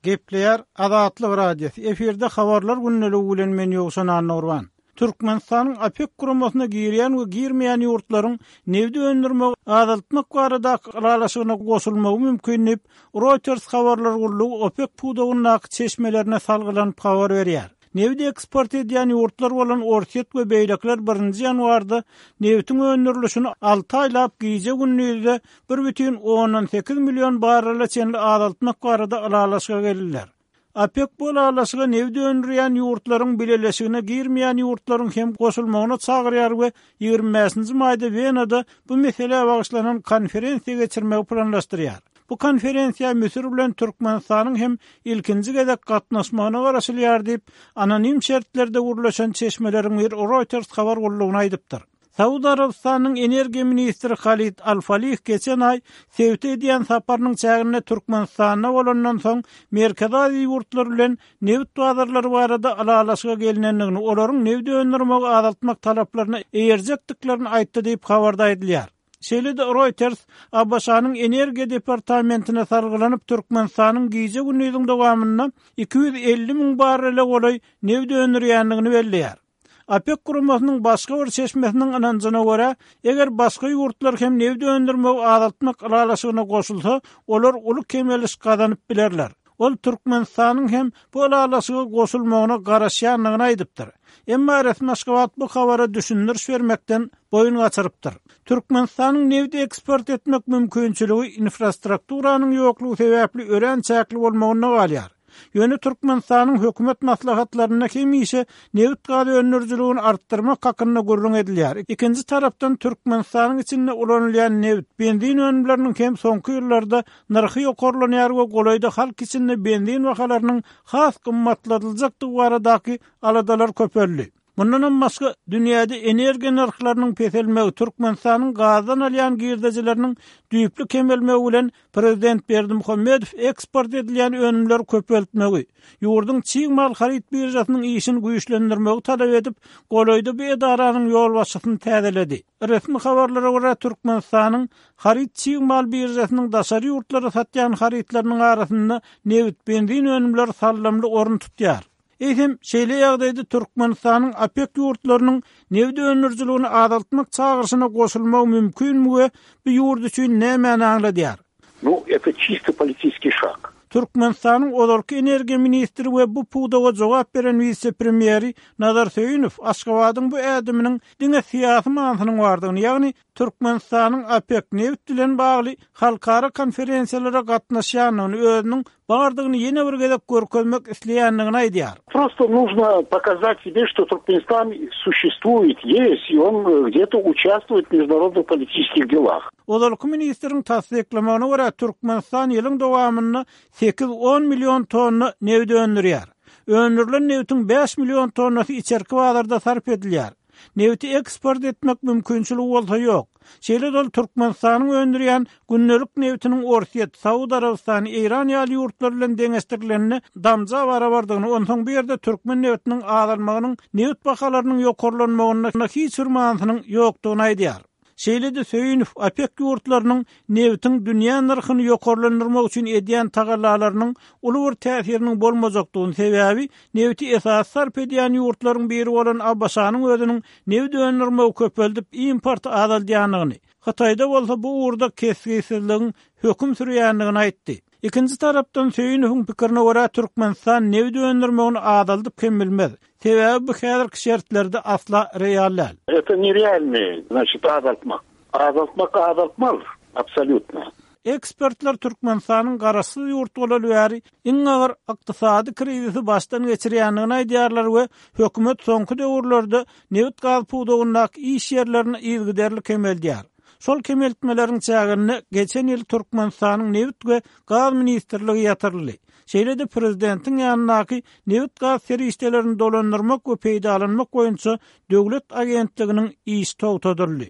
Gepleýär Azatlyk Radiosy, efirde Habarlar gündeligi bilen men Ýowşan Annagurban. Türkmenistanyň OPEK guramasyna girýän we girmeýän ýurtlaryň nebit öndürmegi azaltmak baradaky ylalaşygyna goşulmagy mümkin diýip, Reuters habarlar gullugy OPEK pudagyndaky çeşmelerine salgylanyp habar berýär. Nebit eksport edýän ýurtlar bolan Orsýet we beýlekiler birinji ýanwarda nebitiň öndürilişini alty aýlap gije-gündizde 1,8 million barrele çenli azaltmak barada ylalaşyga geldiler. OPEK bu ylalaşyga nebit öndürýän ýurtlaryň bileleşigine girmeýän ýurtlaryň hem goşulmagyna çagyrýar we 25-nji maýda Wenada bu meselä bagyşlanan konferensiýa geçirmegi planlaşdyrýar. Bu konferensiýa Müsür bilen Türkmenistanyň hem ilkinji gezek gatnaşmagyna garaşylýar diýip, anonim şertlerde gürleşen çeşmeleriň biri Reuters habar gullugyna aýdypdyr. Saud Arabystanynyň energiýa ministri Halid Al-Falih geçen aý sebite edýän saparynyň çäginde Türkmenistanda bolandan soň Merkezi Aziýa ýurtlary bilen nebit bazarlary barada ylalaşyga gelnendigini, olaryň nebit öndürmegi azaltmak talaplaryna eýerjekdiklerini aýtdy diýip, habarda aýdylýar. Şeýle-de Reuters ABŞ-nyň Energiýa departamentine salgylanyp, Türkmenistanyň gije-gündiziň dowamynda 250 müň barrele golaý nebit öndürýändigini belleýär. OPEK guramasynyň başga bir çeşmesiniň ynanjyna görä, eger başga ýurtlar hem nebit öndürmegi azaltmak ylalaşygyna goşulsa, olar uly kemeliş gazanyp bilerler. Ol Türkmenistanyň hem bu ylalaşyga goşulmagyna garaşýandygyny aýdypdyr. Emma resmi Aşgabat bu habara düşündiriş bermekden boýun gaçyrypdyr. Türkmenistanyň nebit eksport etmek mümkinçiligi infrastrukturanyň ýoklugy sebäpli örän çäkli bolmagynda galýar. Ýöne Türkmenistanyň hökümet maslahatlarynda hemişe nebit-gaz öndürijiligini artdyrmak hakynda gürrüň edilýär. Ikinji tarapdan Türkmenistanyň içinde ulanylýan nebit, benzin önümleriniň hem soňky ýyllarda nyrhy ýokarlanýar we golaýda halk içinde benzin bahalarynyň has gymmatladyljakdygy baradaky aladalar köpeldi. Mundanam başga, dünýäde energiýa nyrhlarynyň peselmegi, Türkmenistanyň gazdan alýan girdejileriniň düýpli kemelmegi bilen prezident Berdimuhamedow eksport edilýän önümleri köpeltmegi, ýurduň çig mal haryt biržasynyň işini güýçlendirmegi talap edip, golaýda bu edaranyň ýolbaşçysyny täzeledi. Resmi habarlara görä, Türkmenistanyň haryt çig mal biržasynyň daşary ýurtlara satýan harytlarynyň arasynda nebit, benzin önümleri saldamly orun tutýar. Eýsem, şeýle ýagdaýda Türkmenistanyň OPEK ýurtlarynyň nebit öndürijiligini azaltmak çagyryşyna goşulmagy mümkinmi we bu ýurt üçin nämäni aňladýar? Nu, eto çisto politiskiý şag. Türkmenistanyň ozalky energiýa ministri we bu pudaga jogap beren wise-premýeri Nazar Söýünow Aşgabadyň bu ädiminiň diňe syýasy manysynyň bardygyny, ýagny Türkmenistanyň OPEK nebit bilen bagly halkara konferensiýalara gatnaşýandygyny, özüniň bardygyny ýene bir gezek görkezmek isleýändigini aýdýar. Prosto нужно показать себе, что Туркменистан существует, есть, и он где-то участвует в международных политических делах. Ozalky ministriň tassyklamagyna görä, Türkmenistan ýylyň dowamynda sekiz-on million tonna nebit öndürýär. Öndürilen nebitiň bäş million tonnasy içerki bazarda sarp edilýär. Nebiti eksport etmek mümkinçiligi bolsa ýok. Şeýle-de ol Türkmenistanyň öndürýän gündelik nebitiniň Orsýet, Saud Arabystany, Eýran ýaly ýurtlar bilen deňeşdirilende damja barabardygyny, onsoň bu ýerde türkmen nebitiniň azalmagynyň nebit bahalarynyň ýokarlanmagynda hiç bir manysynyň ýokdugyny aýdýar. Şeýle-de Söýünow OPEK ýurtlarynyň nebitiň dünýä nyrhyny ýokarlandyrmak üçin edýän tagallalarynyň uly bir täsiriniň bolmajakdygyny, sebäbi nebiti esasy sarp edýän ýurtlaryň biri bolan ABŞ-nyň özüniň nebit öndürmegi köpeldip, importy azaldýandygyny, Hytaýda bolsa bu ugurda kesgitsizligiň höküm sürýändigini aýtdy. Ikinji tarapdan, Söýünowyň pikirine görä, Türkmenistan nebit öndürmegini azaldyp hem bilmez. Sebäbi bu häzirki şertlerde asla real däl. Eto nerealnyý, znaçit, azaltmak. Azaltmak azaltmaz, absolýutno. Ekspertler Türkmenistanyň garaşsyz ýurt bolaly bäri iň agyr ykdysady krizisi başdan geçirýändigini aýdýarlar we hökümet soňky döwürlerde nebit-gaz pudagyndaky iş ýerlerini yzygiderli kemeldýär. Şol kemeltmeleriň çäginde geçen ýyl Türkmenistanyň Nebit we gaz ministrligi ýatyryldy. Şeýle-de prezidentiň ýanyndaky Nebit-gaz serişdelerini dolandyrmak we peýdalanmak boýunça döwlet agentliginiň işi togtadyldy.